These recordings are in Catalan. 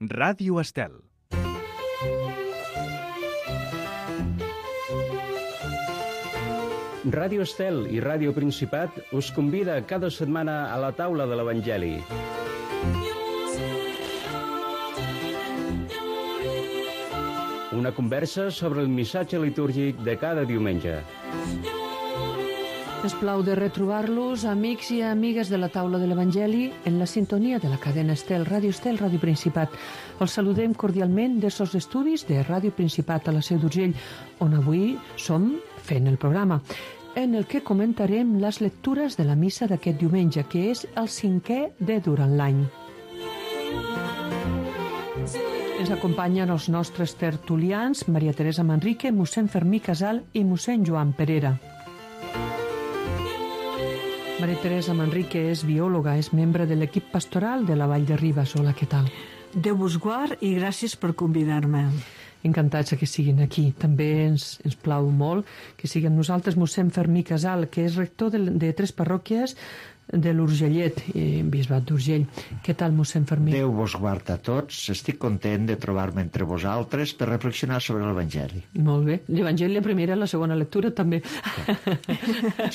Ràdio Estel. Ràdio Estel i Ràdio Principat us convida cada setmana a la taula de l'Evangeli. Una conversa sobre el missatge litúrgic de cada diumenge. Es plau de retrobar-los, amics i amigues de la taula de l'Evangeli, en la sintonia de la cadena Estel, Ràdio Principat. Els saludem cordialment des dels estudis de Ràdio Principat a la Seu d'Urgell, on avui som fent el programa, en el que comentarem les lectures de la missa d'aquest diumenge, que és el 5è de durant l'any. Ens acompanyen els nostres tertulians, Maria Teresa Manrique, mossèn Fermí Casal i mossèn Joan Perera. Maria Teresa Manrique és biòloga, és membre de l'equip pastoral de la Vall de Ribes. Hola, què tal? Déu vos guard i gràcies per convidar-me. Encantats que siguin aquí. També ens plau molt que siguin nosaltres mossèn Fermí Casal, que és rector de 3 parròquies de l'Urgellet, bisbat d'Urgell. Què tal, mossèn Fermí? Déu vos guard a tots. Estic content de trobar-me entre vosaltres per reflexionar sobre l'Evangeli. Molt bé. L'Evangeli, la primera i la segona lectura, també.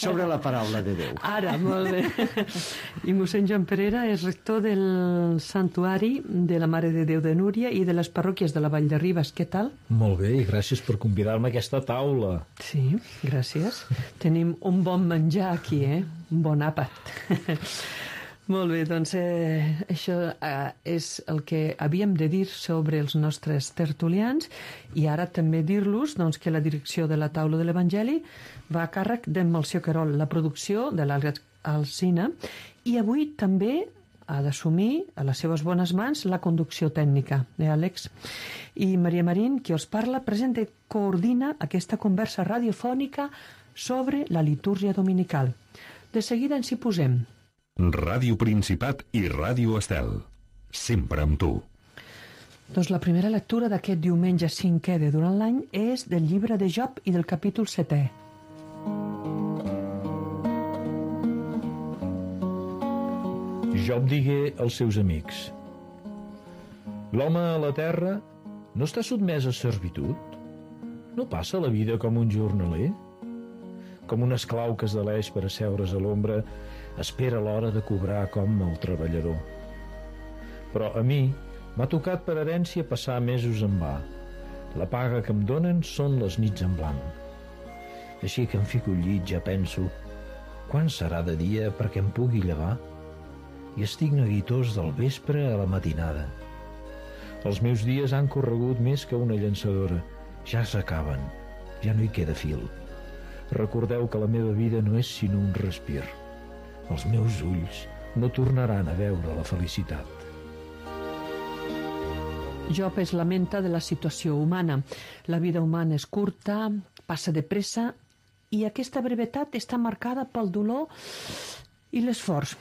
Sobre la paraula de Déu. Ara, molt bé. I mossèn Joan Perera és rector del Santuari de la Mare de Déu de Núria i de les parròquies de la Vall de Ribes. Què tal? Molt bé, i gràcies per convidar-me a aquesta taula. Sí, gràcies. Tenim un bon menjar aquí, un bon àpat. Molt bé, doncs això és el que havíem de dir sobre els nostres tertulians, i ara també dir-los que la direcció de la taula de l'Evangeli va a càrrec d'en Melcior Querol, la producció de l'Àlex Alsina, i avui també ha d'assumir a les seves bones mans la conducció tècnica, Àlex? I Maria Marín, qui us parla, presenta i coordina aquesta conversa radiofònica sobre la litúrgia dominical. De seguida ens hi posem. Ràdio Principat i Ràdio Estel. Sempre amb tu. Doncs la primera lectura d'aquest diumenge 5è de durant l'any és del llibre de Job i del capítol 7è. Job digué als seus amics: l'home a la terra no està sotmès a servitud? No passa la vida com un jornaler? Com un esclau que es deleix per asseure's a l'ombra, espera l'hora de cobrar com el treballador. Però a mi m'ha tocat per herència passar mesos en va. La paga que em donen són les nits en blanc. Així que em fico al llit, ja penso, quan serà de dia perquè em pugui llevar? I estic neguitós del vespre a la matinada. Els meus dies han corregut més que una llançadora. Ja s'acaben, ja no hi queda fil. Recordeu que la meva vida no és sinó un respir. Els meus ulls no tornaran a veure la felicitat. Job es lamenta de la situació humana. La vida humana és curta, passa de pressa, i aquesta brevetat està marcada pel dolor i l'esforç.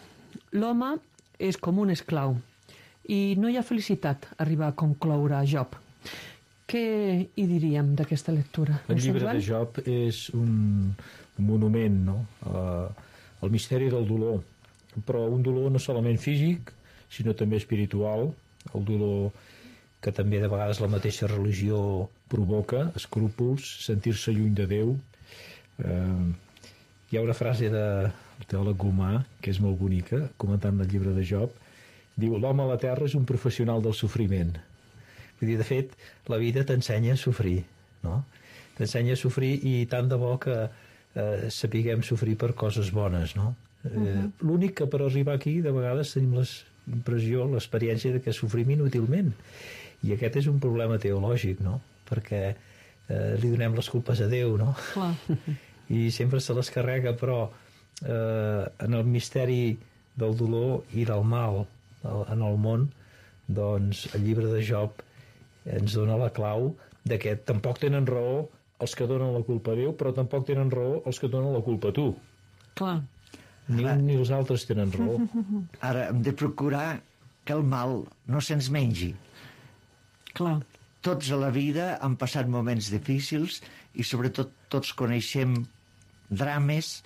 L'home és com un esclau i no hi ha felicitat a arribar a concloure a Job. Què hi diríem d'aquesta lectura? El llibre de Job és un monument, no?, al misteri del dolor, però un dolor no solament físic, sinó també espiritual, el dolor que també de vegades la mateixa religió provoca, escrúpols, sentir-se lluny de Déu. Hi ha una frase del teòleg Gomà, que és molt bonica, comentant el llibre de Job, diu: l'home a la terra és un professional del sofriment. Vull dir, de fet, la vida t'ensenya a sofrir, no? T'ensenya a sofrir, i tant de bo que sapiguem sofrir per coses bones, no? L'únic que per arribar aquí de vegades tenim l'impressió, l'experiència de que sofrim inútilment, i aquest és un problema teològic, no? Perquè li donem les culpes a Déu, no? Clar. I sempre se les carrega, però en el misteri del dolor i del mal en el món, doncs el llibre de Job ens dona la clau de que tampoc tenen raó els que donen la culpa a Déu, però tampoc tenen raó els que donen la culpa a tu. Clar. Ni un ni els altres tenen raó. Ara hem de procurar que el mal no se'ns mengi. Clar. Tots a la vida han passat moments difícils i sobretot tots coneixem drames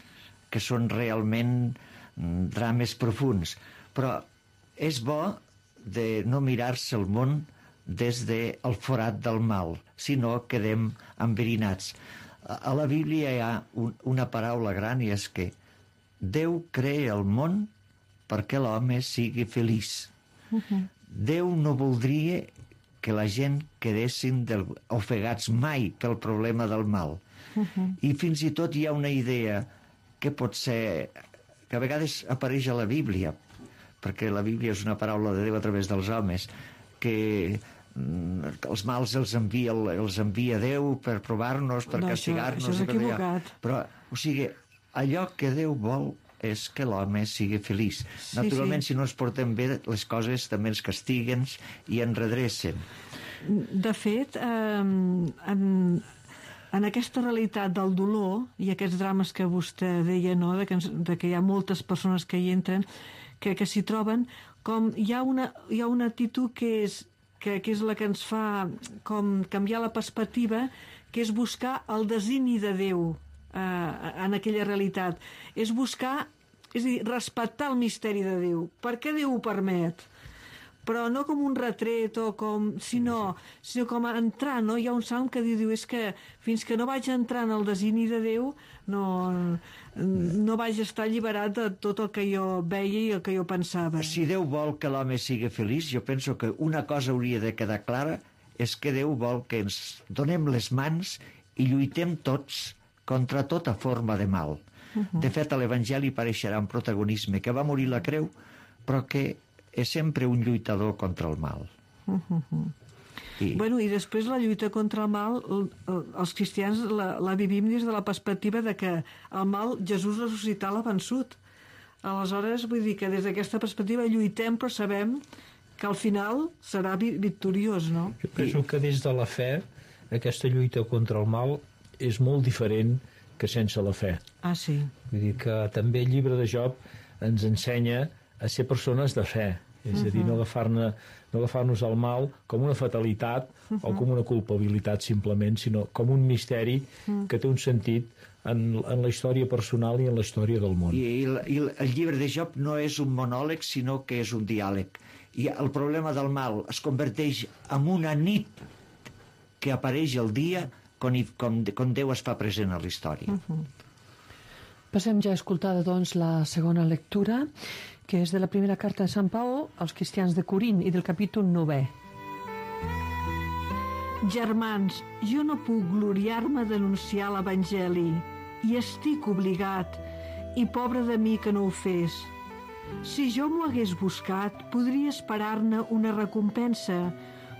que són realment drames profuns, però és bo de no mirar-se el món des del forat del mal, sinó quedem enverinats. A la Bíblia hi ha una paraula gran, i és que Déu crea el món perquè l'home sigui feliç. Déu no voldria que la gent quedessin ofegats mai pel problema del mal. I fins i tot hi ha una idea que pot ser, que a vegades apareix a la Bíblia, perquè la Bíblia és una paraula de Déu a través dels homes, que els mals els envia Déu per provar-nos, per castigar-nos. Això és equivocat. Però, o sigui, allò que Déu vol és que l'home sigui feliç. Naturalment, si no ens portem bé, les coses també ens castiguen i ens redrecen. De fet, en aquesta realitat del dolor i aquests drames que vostè deia, no? de que hi ha moltes persones que hi entren, que s'hi troben, com hi ha una actitud que és la que ens fa com canviar la perspectiva, que és buscar el designi de Déu en aquella realitat. És buscar, és a dir, respectar el misteri de Déu. Per què Déu ho permet? Però no com un retret o sinó com a entrar, no? Hi ha un salm que diu, és que fins que no vaig entrar en el designi de Déu no vaig estar alliberat de tot el que jo veia i el que jo pensava. Si Déu vol que l'home sigui feliç, jo penso que una cosa hauria de quedar clara, és que Déu vol que ens donem les mans i lluitem tots contra tota forma de mal. De fet, a l'Evangeli apareixerà un protagonisme que va morir a la creu, però que és sempre un lluitador contra el mal. I després la lluita contra el mal, els cristians la vivim des de la perspectiva de que el mal Jesús ressuscitar l'ha vençut. Aleshores, vull dir que des d'aquesta perspectiva lluitem, però sabem que al final serà victoriós, no? Jo penso que des de la fe aquesta lluita contra el mal és molt diferent que sense la fe. Ah, sí. Vull dir que també el llibre de Job ens ensenya a ser persones de fe, és a dir, no agafar-nos el mal com una fatalitat o com una culpabilitat simplement, sinó com un misteri que té un sentit en la història personal i en la història del món. I el llibre de Job no és un monòleg, sinó que és un diàleg. I el problema del mal es converteix en una nit que apareix el dia quan Déu es fa present a la història. Passem ja a escoltar, doncs, la segona lectura, que és de la primera carta de Sant Pau als cristians de Corint i del capítol 9. Germans, jo no puc gloriar-me d'anunciar l'Evangeli, i estic obligat, i pobre de mi que no ho fes. Si jo m'ho hagués buscat, podria esperar-ne una recompensa,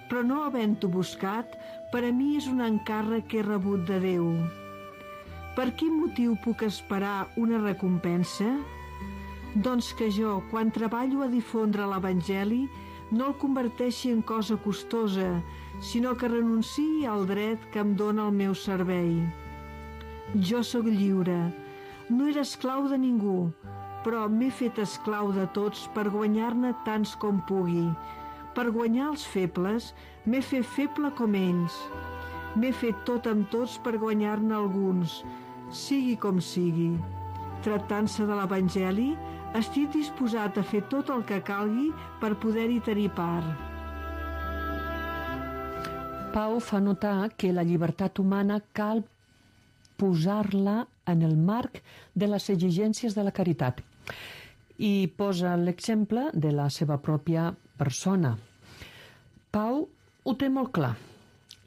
però no havent-ho buscat, per a mi és un encàrrec que he rebut de Déu. Per quin motiu puc esperar una recompensa? Doncs que jo, quan treballo a difondre l'Evangeli, no el converteixi en cosa costosa, sinó que renunciï al dret que em dóna el meu servei. Jo sóc lliure, no era esclau de ningú, però m'he fet esclau de tots per guanyar-ne tants com pugui. Per guanyar els febles, m'he fet feble com ells. M'he fet tot amb tots per guanyar-ne alguns, sigui com sigui. Tractant-se de l'Evangeli, estic disposat a fer tot el que calgui per poder-hi tenir part. Pau fa notar que la llibertat humana cal posar-la en el marc de les exigències de la caritat i posa l'exemple de la seva pròpia persona. Pau ho té molt clar.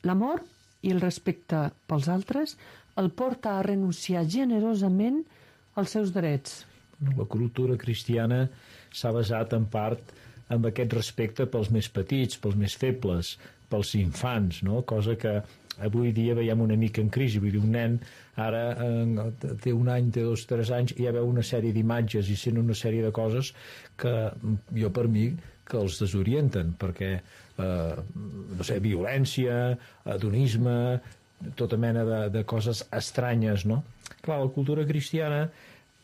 L'amor i el respecte pels altres el porta a renunciar generosament als seus drets. La cultura cristiana s'ha basat en part en aquest respecte pels més petits, pels més febles, pels infants, no? Cosa que avui dia veiem una mica en crisi. Vull dir, un nen ara té un any, té 2, 3 anys, i ja veu una sèrie d'imatges i sent una sèrie de coses que jo, per mi, que els desorienten, perquè, no sé, violència, hedonisme, tota mena de coses estranyes, no? Clar, la cultura cristiana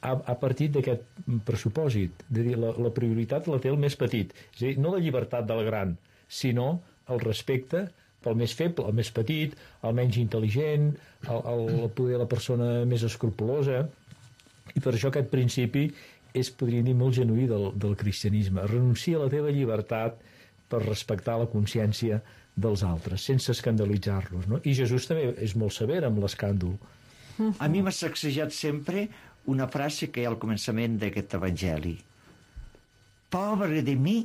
ha partit d'aquest pressupòsit, de dir, la prioritat la té el més petit, és a dir, no la llibertat del gran, sinó el respecte pel més feble, el més petit, el menys intel·ligent, poder la persona més escrupulosa, i per això aquest principi és, podríem dir, molt genuí del cristianisme. Renuncia a la teva llibertat per respectar la consciència dels altres, sense escandalitzar-los, no? I Jesús també és molt sever amb l'escàndol. A mi m'ha sacsejat sempre una frase que hi ha al començament d'aquest evangeli. Pobre de mi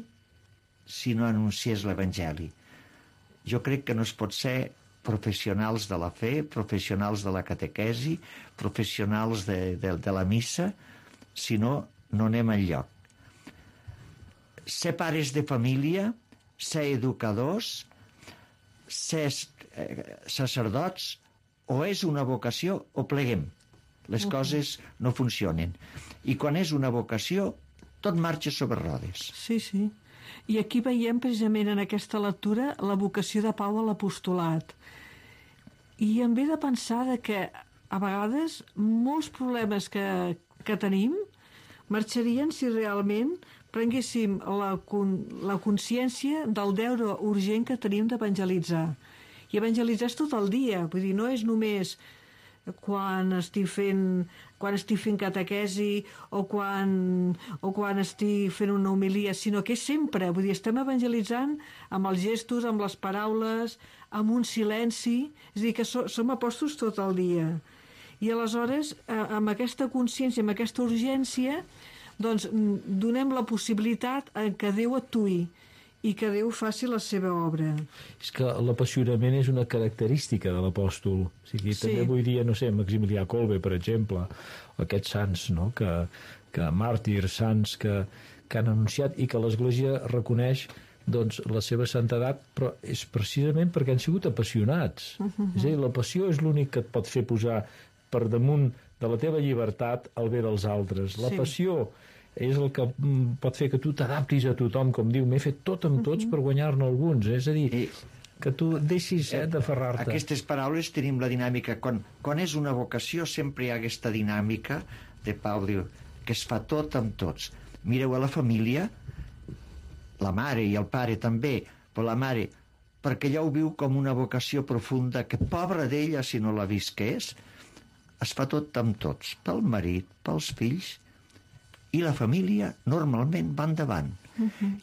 si no anunciés l'evangeli. Jo crec que no es pot ser professionals de la fe, professionals de la catequesi, professionals de la missa, si no anem enlloc. Ser pares de família, ser educadors, ser sacerdots, o és una vocació o pleguem. Les coses no funcionen. I quan és una vocació, tot marxa sobre rodes. Sí, sí. I aquí veiem precisament en aquesta lectura la vocació de Pau a l'apostolat. I em ve de pensar que a vegades molts problemes que tenim marxarien si realment prenguéssim la consciència del deure urgent que tenim d'evangelitzar. I evangelitzar és tot el dia, vull dir, no és només quan estic fent catequesi o quan estic fent una homilia, sinó que és sempre, vull dir, estem evangelitzant amb els gestos, amb les paraules, amb un silenci, és a dir, que som apòstols tot el dia. I aleshores, amb aquesta consciència, amb aquesta urgència, doncs donem la possibilitat que Déu actuï i que Déu faci la seva obra. És que l'apassionament és una característica de l'apòstol. O sigui, també avui dia, no sé, Maximilià Kolbe, per exemple, aquests sants, no?, que màrtirs, sants que han anunciat i que l'Església reconeix doncs, la seva santedat, però és precisament perquè han sigut apassionats. És a dir, la passió és l'únic que et pot fer posar per damunt de la teva llibertat el bé dels altres. La passió és el que pot fer que tu t'adaptis a tothom, com diu, m'he fet tot amb tots per guanyar-ne alguns. És a dir, que tu deixis d'aferrar-te. Aquestes paraules tenim la dinàmica. Quan és una vocació sempre hi ha aquesta dinàmica de Pau, diu, que es fa tot amb tots. Mireu a la família, la mare i el pare també, però la mare, perquè ella ho viu com una vocació profunda, que pobra d'ella si no la visqués, es fa tot amb tots, pel marit, pels fills, i la família normalment va endavant.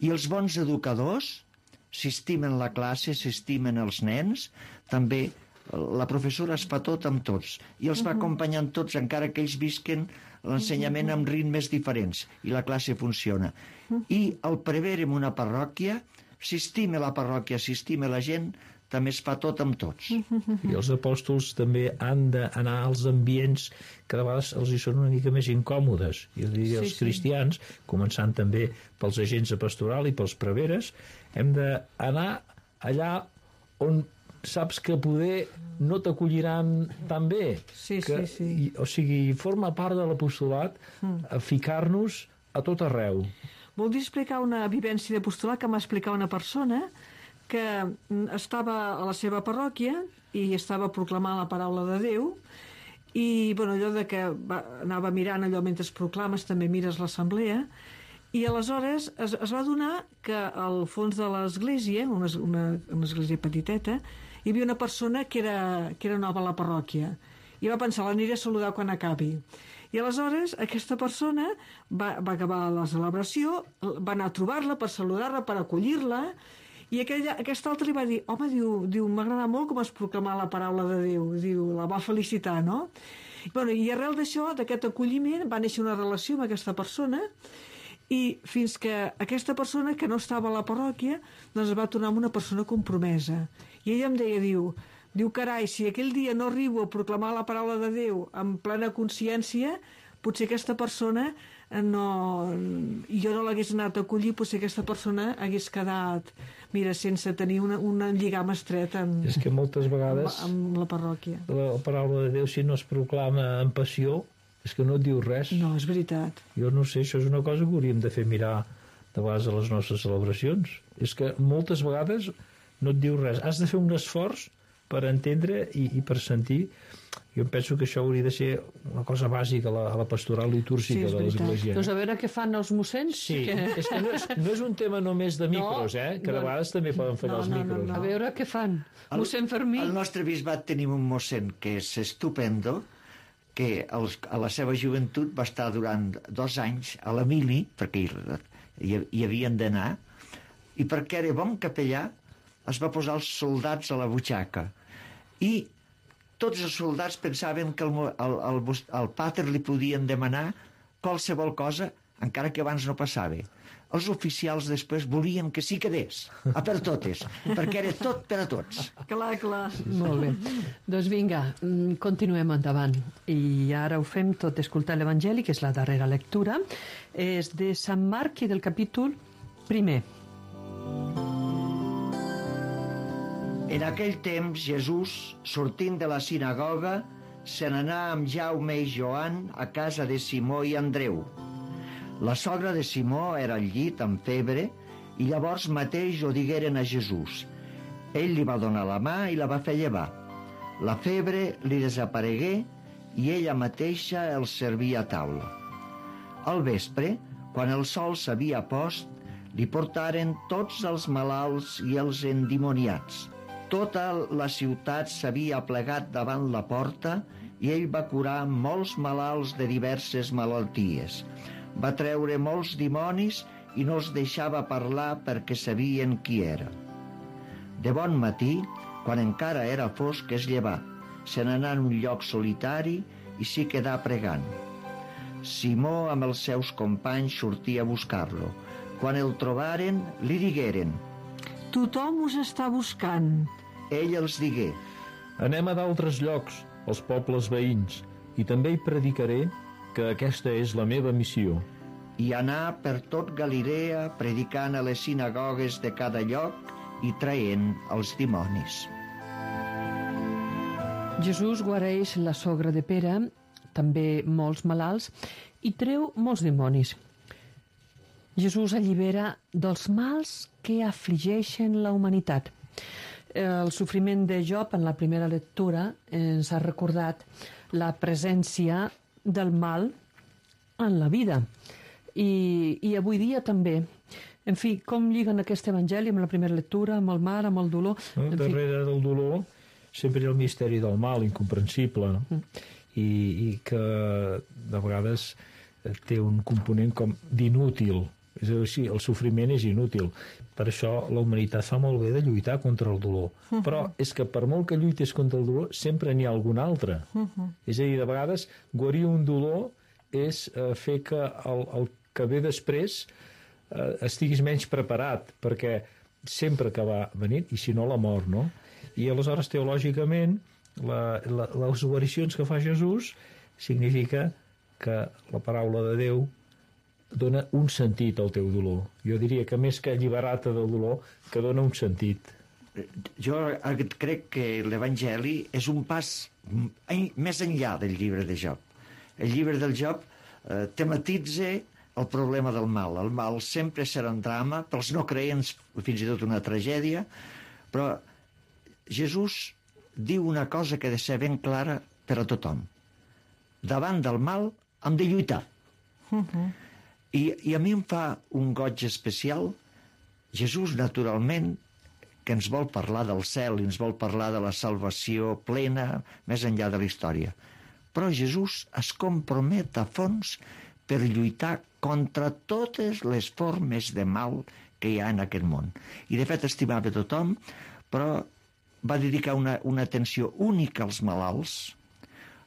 I els bons educadors s'estimen la classe, s'estimen els nens, també la professora es fa tot amb tots i els va acompanyant tots, encara que ells visquen l'ensenyament amb ritmes diferents, i la classe funciona. I el prevere en una parròquia, s'estima la parròquia, s'estima la gent, també es fa tot amb tots. I els apòstols també han d'anar als ambients que de vegades els hi són una mica més incòmodes. I els cristians, començant també pels agents de pastoral i pels preveres, hem d'anar allà on saps que poder no t'acolliran tan bé. O sigui, forma part de l'apostolat ficar-nos a tot arreu. Voldria explicar una vivència d'apostolat que m'ha explicat una persona que estava a la seva parròquia i estava proclamant la paraula de Déu, i allò de que anava mirant allò mentre es proclames, també mires l'assemblea, i aleshores es va adonar que al fons de l'església, una església petiteta, hi havia una persona que era nova a la parròquia, i va pensar, l'aniré a saludar quan acabi. I aleshores aquesta persona va acabar la celebració, va anar a trobar-la per saludar-la, per acollir-la, i aquest altre li va dir, home, diu, m'agrada molt com es proclamar la paraula de Déu, diu, la va felicitar, no? I arrel d'això, d'aquest acolliment, va néixer una relació amb aquesta persona, i fins que aquesta persona, que no estava a la parròquia, doncs es va tornar una persona compromesa. I ella em deia, diu, carai, si aquell dia no arribo a proclamar la paraula de Déu amb plena consciència, potser aquesta persona i jo no l'hagués anat a acollir, potser aquesta persona hagués quedat, mira, sense tenir un lligam estret és que moltes vegades amb la parròquia. La paraula de Déu, si no es proclama amb passió, és que no et diu res. No, és veritat. Jo no sé, això és una cosa que hauríem de fer mirar de vegades a les nostres celebracions. És que moltes vegades no et diu res. Has de fer un esforç per entendre i per sentir. Jo penso que això hauria de ser una cosa bàsica a la pastoral litúrgica de l'Església. Doncs a veure què fan els mossens. Sí, és que no és un tema només de micros, que de vegades també poden fallar els micros. A veure què fan. Mossèn Fermí. Al nostre bisbat tenim un mossèn que és estupendo, que a la seva joventut va estar durant 2 anys a la mili, perquè hi havien d'anar, i perquè era bon capellà es va posar els soldats a la butxaca. I tots els soldats pensaven que al pater li podien demanar qualsevol cosa, encara que abans no passava. Els oficials després volien que sí quedés, a per totes, perquè era tot per a tots. Clar, clar. Molt bé. Doncs vinga, continuem endavant. I ara ho fem tot escoltar l'Evangeli, que és la darrera lectura. És de Sant Marc i del capítol 1. En aquell temps, Jesús, sortint de la sinagoga, se n'anà amb Jaume i Joan a casa de Simó i Andreu. La sogra de Simó era al llit amb febre i llavors mateix ho digueren a Jesús. Ell li va donar la mà i la va fer llevar. La febre li desaparegué i ella mateixa el servia a taula. Al vespre, quan el sol s'havia post, li portaren tots els malalts i els endimoniats. Tota la ciutat s'havia plegat davant la porta i ell va curar molts malalts de diverses malalties. Va treure molts dimonis i no els deixava parlar perquè sabien qui era. De bon matí, quan encara era fosc, es llevà, se n'anà en un lloc solitari i s'hi quedà pregant. Simó amb els seus companys sortia a buscar-lo. Quan el trobaren, li digueren: Tothom us està buscant. Ell els digué: Anem a d'altres llocs, als pobles veïns, i també hi predicaré que aquesta és la meva missió. I anà per tot Galilea predicant a les sinagogues de cada lloc i traient els dimonis. Jesús guareix la sogra de Pere, també molts malalts, i treu molts dimonis. Jesús allibera dels mals que afligeixen la humanitat. El sofriment de Job en la primera lectura ens ha recordat la presència del mal en la vida i avui dia també. En fi, com lliguen aquest evangeli amb la primera lectura, amb el mal, amb el dolor? Darrere del dolor sempre hi ha el misteri del mal, incomprensible, no? I que de vegades té un component com d'inútil. És a dir, el sofriment és inútil. Per això la humanitat fa molt bé de lluitar contra el dolor. Però és que per molt que lluites contra el dolor, sempre n'hi ha algun altre. És a dir, de vegades, guarir un dolor és fer que el que ve després estiguis menys preparat, perquè sempre que va venint, i si no la mort, no? I aleshores, teològicament, les guaricions que fa Jesús significa que la paraula de Déu dona un sentit al teu dolor. Jo diria que més que alliberar-te del dolor, que dona un sentit. Jo crec que l'Evangeli és un pas més enllà del llibre de Job. El llibre del Job tematitza el problema del mal. El mal sempre serà un drama, pels no creents fins i tot una tragèdia, però Jesús diu una cosa que ha de ser ben clara per a tothom. Davant del mal hem de lluitar. I a mi em fa un goig especial. Jesús, naturalment, que ens vol parlar del cel i ens vol parlar de la salvació plena més enllà de la història. Però Jesús es compromet a fons per lluitar contra totes les formes de mal que hi ha en aquest món. I de fet estimava tothom, però va dedicar una atenció única als malalts.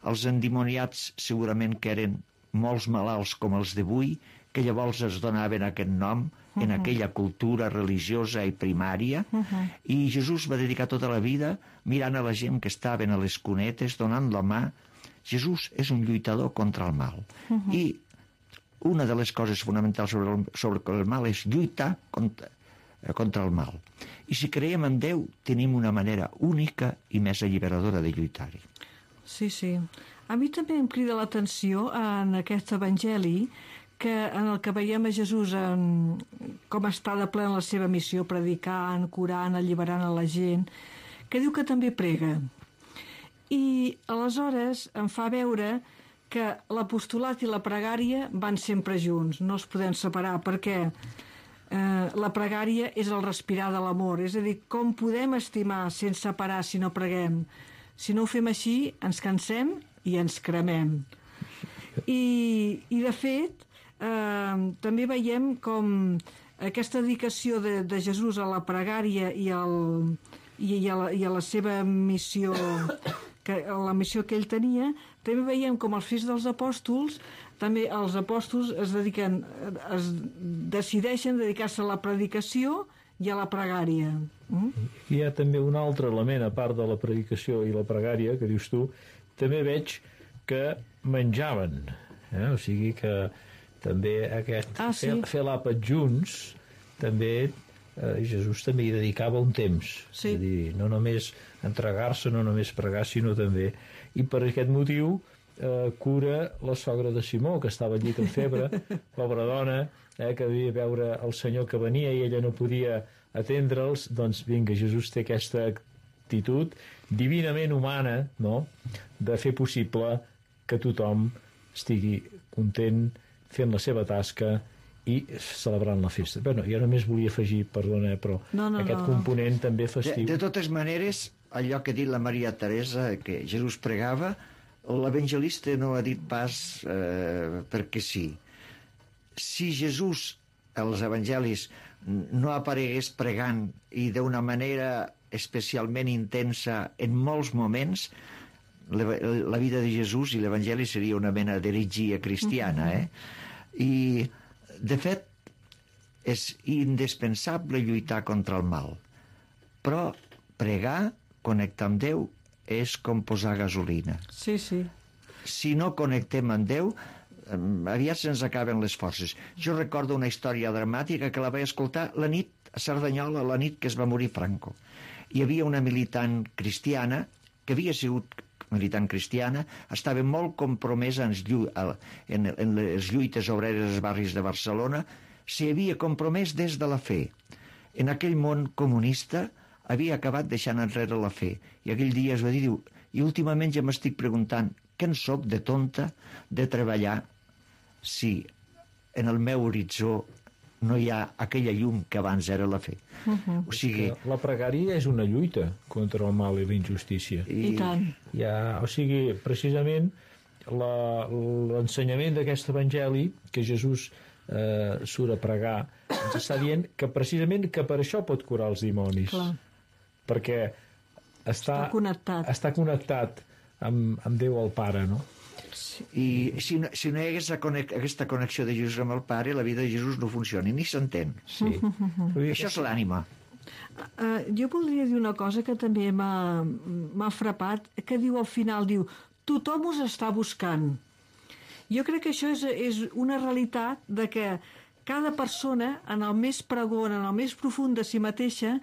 Els endimoniats segurament que eren molts malalts com els d'avui, que llavors es donaven aquest nom en aquella cultura religiosa i primària, i Jesús va dedicar tota la vida mirant a la gent que estaven a les cunetes, donant la mà. Jesús és un lluitador contra el mal. I una de les coses fonamentals sobre el mal és lluitar contra el mal. I si creiem en Déu, tenim una manera única i més alliberadora de lluitar-hi. Sí, sí. A mi també em crida l'atenció en aquest evangeli en el que veiem a Jesús com està de ple en la seva missió, predicant, curant, alliberant a la gent, que diu que també prega. I aleshores em fa veure que l'apostolat i la pregària van sempre junts, no es poden separar, perquè la pregària és el respirar de l'amor, és a dir, com podem estimar sense parar si no preguem? Si no ho fem així, ens cansem i ens cremem. I de fet, també veiem com aquesta dedicació de Jesús a la pregària i a la seva missió, la missió que ell tenia, també veiem com els fills dels apòstols, també els apòstols decideixen dedicar-se a la predicació i a la pregària. Hi ha també un altre element, a part de la predicació i la pregària, que dius tu, també veig que menjaven, o sigui que també fer l'àpat junts, també Jesús també hi dedicava un temps, és a dir, no només entregar-se, no només pregar, sinó també, i per aquest motiu cura la sogra de Simó, que estava al llit amb febre, pobra dona, que devia veure el Senyor que venia i ella no podia atendre'ls. Doncs vinga, Jesús té aquesta actitud divinament humana, no?, de fer possible que tothom estigui content fent la seva tasca i celebrant la festa. Bueno, jo només volia afegir, perdona, però aquest component també festiu. De totes maneres, allò que ha dit la Maria Teresa, que Jesús pregava, l'evangelista no ha dit pas perquè sí. Si Jesús, als evangelis, no aparegués pregant i d'una manera especialment intensa en molts moments, la vida de Jesús i l'evangeli seria una mena d'heretgia cristiana, I, de fet, és indispensable lluitar contra el mal. Però pregar, connectar amb Déu, és com posar gasolina. Sí. Si no connectem amb Déu, aviat se'ns acaben les forces. Jo recordo una història dramàtica que la vaig escoltar la nit a Cerdanyola, la nit que es va morir Franco. Hi havia una militant cristiana, que havia sigut militant cristiana, estava molt compromesa en les lluites obreres dels barris de Barcelona, s'hi havia compromès des de la fe. En aquell món comunista havia acabat deixant enrere la fe. I aquell dia es va dir, i últimament ja m'estic preguntant què en soc de tonta de treballar si en el meu horitzó no hi ha aquella llum que abans era la fe. O sigui... La pregària és una lluita contra el mal i la injustícia. I tant. O sigui, precisament, l'ensenyament d'aquest evangeli, que Jesús surt a pregar, ens està dient que precisament que per això pot curar els dimonis. Clar. Perquè està connectat amb Déu el Pare, no? I si no hi hagués aquesta connexió de Jesús amb el Pare, la vida de Jesús no funciona, ni s'entén. Sí. Això és l'ànima. Jo voldria dir una cosa que també m'ha frapat, que diu al final, tothom us està buscant. Jo crec que això és una realitat de que cada persona, en el més pregon, en el més profund de si mateixa,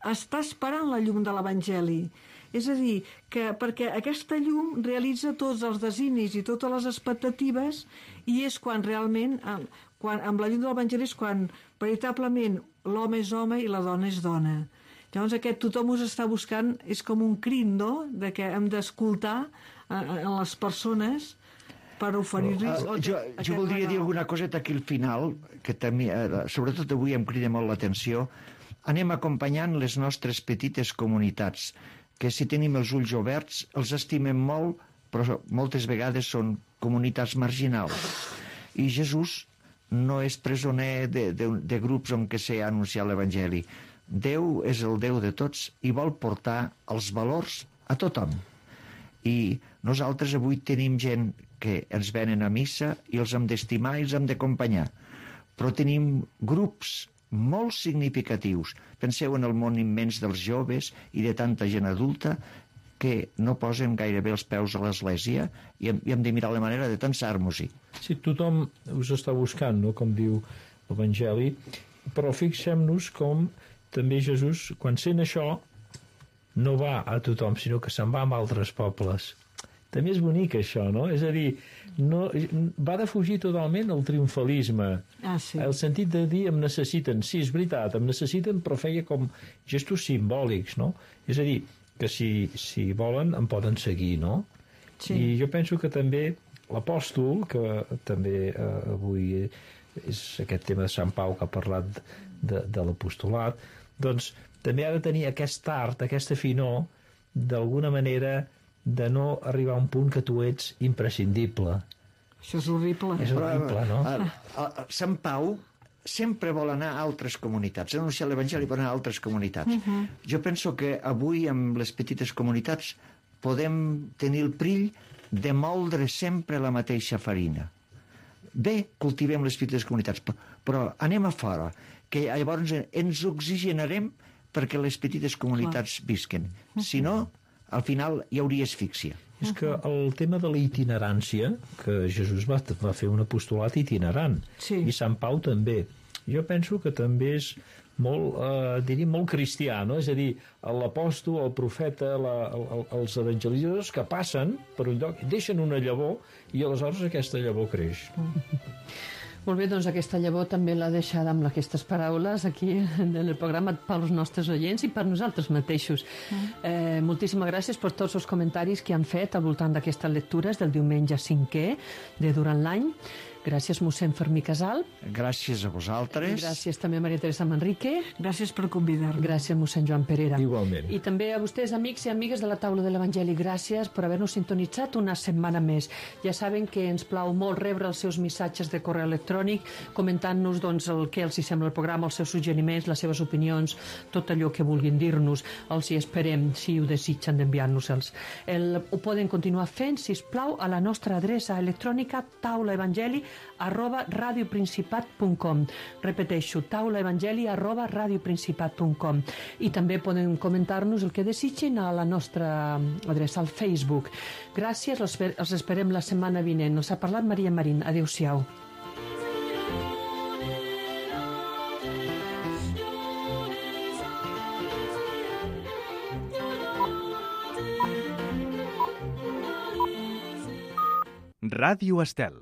està esperant la llum de l'Evangeli. És a dir, que perquè aquesta llum realitza tots els desinis i totes les expectatives, i és quan realment, amb la llum de l'Evangeli, és quan veritablement l'home és home i la dona és dona. Llavors aquest tothom us està buscant és com un crit, no?, de que hem d'escoltar a les persones per oferir-los... Jo voldria dir alguna coseta aquí al final, que també, sobretot avui em crida molt l'atenció. Anem acompanyant les nostres petites comunitats, que si tenim els ulls oberts els estimem molt, però moltes vegades són comunitats marginals. I Jesús no és presoner de grups on que s'ha anunciat l'Evangeli. Déu és el Déu de tots i vol portar els valors a tothom. I nosaltres avui tenim gent que ens venen a missa i els hem d'estimar i els hem d'acompanyar. Però tenim grups molt significatius. Penseu en el món immens dels joves i de tanta gent adulta que no posen gairebé els peus a l'església i hem de mirar la manera de tensar-nos-hi. Sí, tothom us està buscant, no?, com diu l'Evangeli, però fixem-nos com també Jesús, quan sent això, no va a tothom, sinó que se'n va amb altres pobles. També és bonic això, no? És a dir, va defugir totalment el triomfalisme. Sí. El sentit de dir em necessiten. Sí, és veritat, em necessiten, però feia com gestos simbòlics, no? És a dir, que si volen em poden seguir, no? Sí. I jo penso que també l'apòstol, que també avui és aquest tema de Sant Pau que ha parlat de l'apostolat, doncs també ha de tenir aquest art, aquesta finor, d'alguna manera de no arribar a un punt que tu ets imprescindible. Això és horrible. És horrible, no? Sant Pau sempre vol anar a altres comunitats, anunciar l'Evangeli per anar a altres comunitats. Jo penso que avui, amb les petites comunitats, podem tenir el perill de moldre sempre la mateixa farina. Bé, cultivem les petites comunitats, però anem a fora, que llavors ens oxigenarem perquè les petites comunitats visquen. Si no, al final hi hauria asfíxia. És que el tema de la itinerància, que Jesús va fer un apostolat itinerant, Sí. i Sant Pau també. Jo penso que també és molt, diríem, molt cristià, no? És a dir, l'apòstol, el profeta, els evangelitzadors que passen per un lloc, deixen una llavor i aleshores aquesta llavor creix. Molt bé, doncs aquesta llavor també l'ha deixada amb aquestes paraules aquí en el programa pels nostres oients i per nosaltres mateixos. Moltíssimes gràcies per tots els comentaris que han fet al voltant d'aquestes lectures del diumenge 5è de durant l'any. Gràcies, mossèn Fermí Casal. Gràcies a vosaltres. Gràcies també a Maria Teresa Manrique. Gràcies per convidar-me. Gràcies, mossèn Joan Perera. Igualment. I també a vostès, amics i amigues de la taula de l'Evangeli, gràcies per haver-nos sintonitzat una setmana més. Ja saben que ens plau molt rebre els seus missatges de correu electrònic, comentant-nos doncs, el que els hi sembla el programa, els seus suggeriments, les seves opinions, tot allò que vulguin dir-nos. Els hi esperem, si ho desitgen, d'enviar-nos-els. Ho poden continuar fent, si us plau, a la nostra adreça electrònica taulaevangeli@radioprincipat.com. Repeteixo, taulaevangeli@radioprincipat.com. I també poden comentar-nos el que desitgen a la nostra adreça al Facebook. Gràcies, els esperem la setmana vinent. Us ha parlat Maria Marín. Adéu-siau. Ràdio Estel.